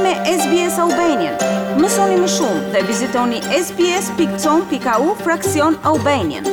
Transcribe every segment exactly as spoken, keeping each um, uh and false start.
me S B S Albanian. Mësoni më shumë dhe vizitoni S B S pikë com pikë A U fraksion Albanian.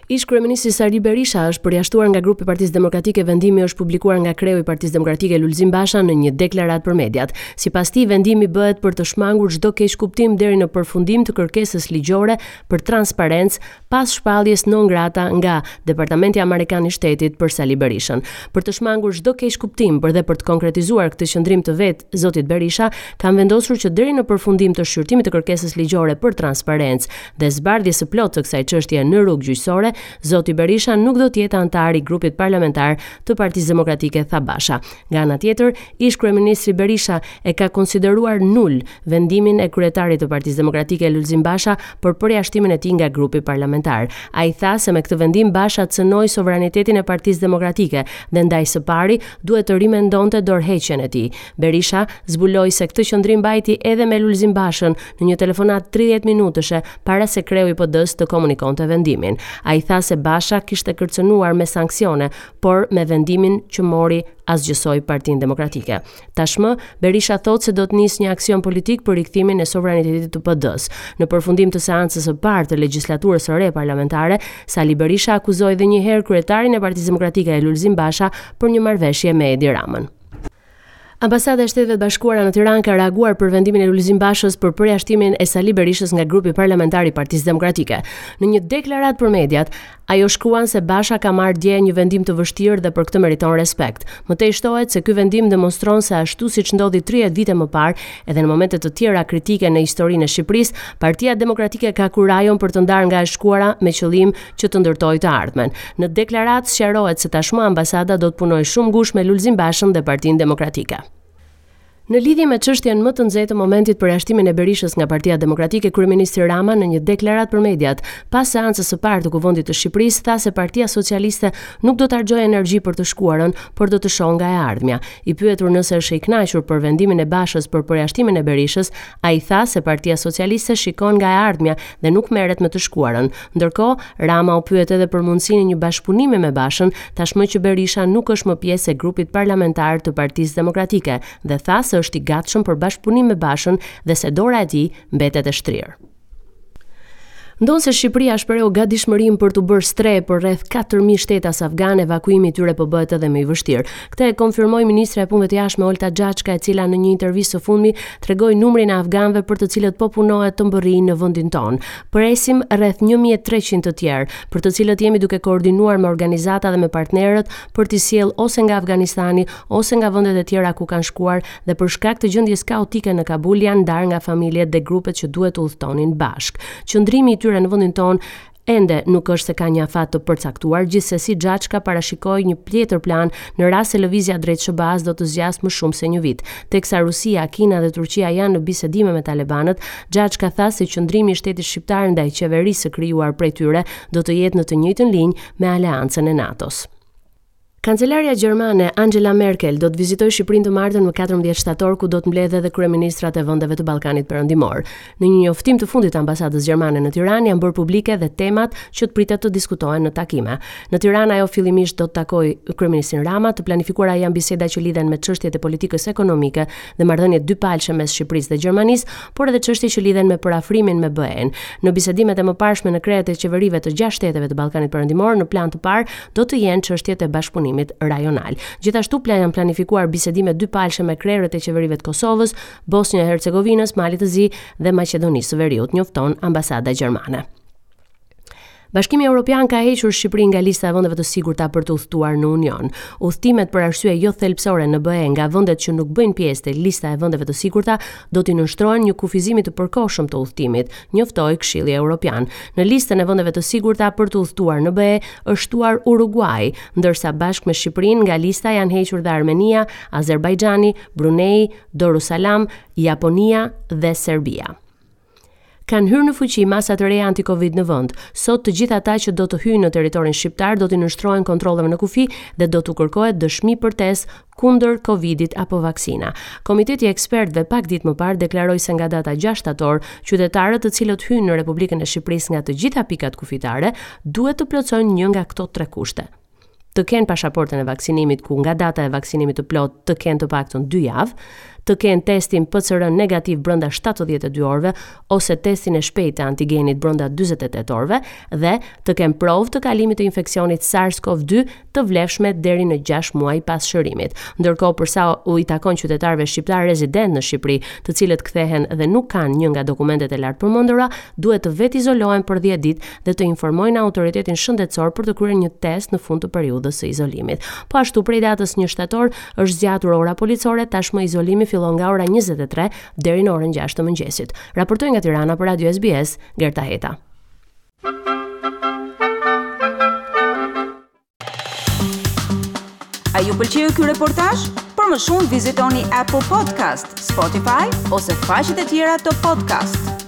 Ish kryeministri Sali Berisha është përjashtuar nga grupi i Partisë Demokratike. Vendimi është publikuar nga kreu i Partisë Demokratike, Lulzim Basha, në një deklaratë për mediat. Sipas tij, vendimi bëhet për të shmangur çdo keqkuptim deri në përfundim të kërkesës ligjore për transparencë pas shpalljes non grata nga Departamenti Amerikan i Shtetit për Sali Berishën. Për të shmangur çdo keqkuptim, por dhe për të konkretizuar këtë qëndrim të vet zotit Berisha, kam vendosur që deri në përfundim të shqyrtimit të kërkesës ligjore për transparencë dhe zbardhjes së plotë të kësaj çështjeje në rrugë gjyqësore, zoti Berisha nuk do të jetë anëtar i grupit parlamentar të Partisë Demokratike, tha Basha. Nga ana tjetër, ish kryeministri Berisha e ka konsideruar nul vendimin e kryetarit të Partisë Demokratike, Lulzim Basha, për përjashtimin e tij nga grupi parlamentar. Ai tha se me këtë vendim Basha cënoi sovranitetin e Partisë Demokratike dhe ndaj së pari duhet të rimendonte dorëheqjen e tij. Berisha zbuloi se këtë qëndrim mbajti edhe me Lulzim Bashën në një telefonat tridhjetë minutëshe para se kreu i P D-s të komunikonte vendimin. Ai tha se Basha kishte kërcënuar me sanksione, por me vendimin që mori asgjësoi Partinë Demokratike. Tashmë, Berisha thotë se do të nisë një aksion politik për rikthimin e sovranitetit të P D-s. Në përfundim të seancës së parë të legjislaturës së re parlamentare, Sali Berisha akuzoi edhe një herë kryetarin e Partisë Demokratike, Lulzim Basha, për një marrëveshje me Edi Ramën. Ambasada e Shteteve të Bashkuara në Tiranë ka reaguar për vendimin e Lulzim Bashës për përjashtimin e Sali Berishës nga grupi parlamentar i Partisë Demokratike. Në një deklaratë për mediat, ajo shkruan se Basha ka marrë dje një vendim të vështirë dhe për këtë meriton respekt. Më tej shtohet se ky vendim demonstron se, ashtu siç ndodhi tridhjetë vite më parë, edhe në momente të tjera kritike në historinë e Shqipërisë, Partia Demokratike ka kurajon për të ndarë nga e shkuara me qëllim që të ndërtojë të ardhmen. Në deklaratë sqarohet se tashmë ambasada do të punojë shumë ngushtë me Lulzim Bashën dhe Partinë Demokratike. Në lidhje me çështjen më të nxehtë të momentit, përjashtimin e Berishës nga Partia Demokratike, kryeministri Rama në një deklaratë për mediat pas seancës së parë të Kuvendit të Shqipërisë tha se Partia Socialiste nuk do të harxojë energji për të shkuarën, por do të shohë nga e ardhmja. I pyetur nëse është i kënaqur për vendimin e Bashës për përjashtimin e Berishës, ai tha se Partia Socialiste shikon nga e ardhmja dhe nuk merret me të shkuarën. Ndërkohë, Rama u pyet edhe për mundësinë e një bashkëpunimi me Bashën, tashmë që Berisha nuk është më pjesë e grupit parlamentar të Partisë Demokratike, dhe tha se është i gatshëm për bashkëpunim me Bashën dhe se dora e tij mbetet e shtrirë. Ndonëse Shqipëria shprehu gatishmërinë për të bërë strehë për rreth katër mijë shtetas afgan, evakuimi i tyre po bëhet edhe më i vështirë. Këtë e konfirmoi ministrja e Punëve të Jashtme, Olta Xhaçka, e cila në një intervistë së fundmi tregoi numrin e afganëve për të cilët po punohet të mbërrijnë në vendin tonë. Presim rreth një mijë e treqind të tjerë, për të cilët jemi duke koordinuar me organizata dhe me partnerët për t'i sjellë ose nga Afganistani ose nga vendet e tjera ku kanë shkuar dhe për shkak të gjendjes kaotike në Kabul janë ndarë nga familjet dhe grupet që duhet të udhtonin bashkë. Qëndrimi i tyre në vendin tonë ende nuk është se ka një afat të përcaktuar, gjithsesi Xhaçka parashikoi një tjetër plan në rast se lëvizja drejt S H B A-s do të zgjasë më shumë se një vit. Teksa Rusia, Kina dhe Turqia janë në bisedime me talebanët, Xhaçka tha se qëndrimi i shtetit shqiptar ndaj qeverisë së krijuar prej tyre do të jetë në të njëjtën linjë me aleancën e NATO-s. Kancelarja gjermane Angela Merkel do të vizitojë Shqipërinë të martën, më katërmbëdhjetë shtator, ku do të mbledhë edhe kryeministrat e vendeve të Ballkanit Perëndimor. Në një njoftim të fundit të ambasadës gjermane në Tiranë janë bërë publike dhe temat që të pritet të diskutohen në takime. Në Tiranë ajo fillimisht do të takojë kryeministrin Rama, të planifikuara janë biseda që lidhen me çështjet e politikës ekonomike dhe marrëdhëniet dypalëshe mes Shqipërisë dhe Gjermanisë, por edhe çështje që lidhen me përafrimin me B E-n. Në bisedimet e mëparshme në krerët e qeverive të gjashtë shteteve të Ballkanit Perëndimor, në plan të parë do të jenë çështjet e bashkëpunimit rajonal. Gjithashtu plan janë planifikuar bisedime dypalëshe me krerët e qeverive të Kosovës, Bosnjë e Hercegovinës, Malit të Zi dhe Maqedonisë së Veriut, njofton ambasada gjermane. Bashkimi Evropian ka hequr Shqipërinë nga lista e vendeve të sigurta për të udhëtuar në Union. Udhëtimet për arsye jo thelbësore në B E nga vendet që nuk bëjnë pjesë te lista e vendeve të sigurta do t'i nënshtrohen një kufizimi të përkohshëm të udhëtimit, njoftoi Këshilli Evropian. Në listën e vendeve të sigurta për të udhëtuar në B E është shtuar Uruguay, ndërsa bashkë me Shqipërinë nga lista janë hequr dhe Armenia, Azerbajxhani, Brunei, Darussalam, Japonia dhe Serbia. Kanë hyrë në fuqi masa të reja anti-Covid në vend. Sot të gjithë ata që do të hyjnë në territorin shqiptar do t'i nënshtrohen kontrolleve në kufi dhe do t'u kërkohet dëshmi për test kundër Covidit apo vaksina. Komiteti i ekspertëve pak ditë më parë deklaroi se nga data gjashtë shtator, qytetarët të cilët hyjnë në Republikën e Shqipërisë nga të gjitha pikat kufitare duhet të plotësojnë një nga këto tre kushte: të kenë pasaportën e vaksinimit, ku nga data e vaksinimit të plot të kenë të paktën dy javë, të kenë testin P C R negativ brenda shtatëdhjetë e dy orëve ose testin e shpejtë të antigenit brenda dyzet e tetë orëve dhe të kenë provë të kalimit të infeksionit SARS-CoV dy të vlefshme deri në gjashtë muaj pas shërimit. Ndërkohë, për sa u i takon qytetarëve shqiptar rezident në Shqipëri, të cilët kthehen dhe nuk kanë një nga dokumentet e lartë përmendura, duhet të vetizolohen për dhjetë ditë dhe të informojnë autoritetin shëndetësor për të kryer një test në fund të periudhës së izolimit. Po ashtu, prej datës një shtator është zgjatur ora policore, tashmë izolimi fillon nga ora njëzet e tre deri në orën gjashtë të mëngjesit. Raportoi nga Tirana për Radio S B S, Gerta Heta. A ju pëlqeu ky reportazh? Për më shumë vizitoni Apple Podcast, Spotify ose faqet e tjera të podcast.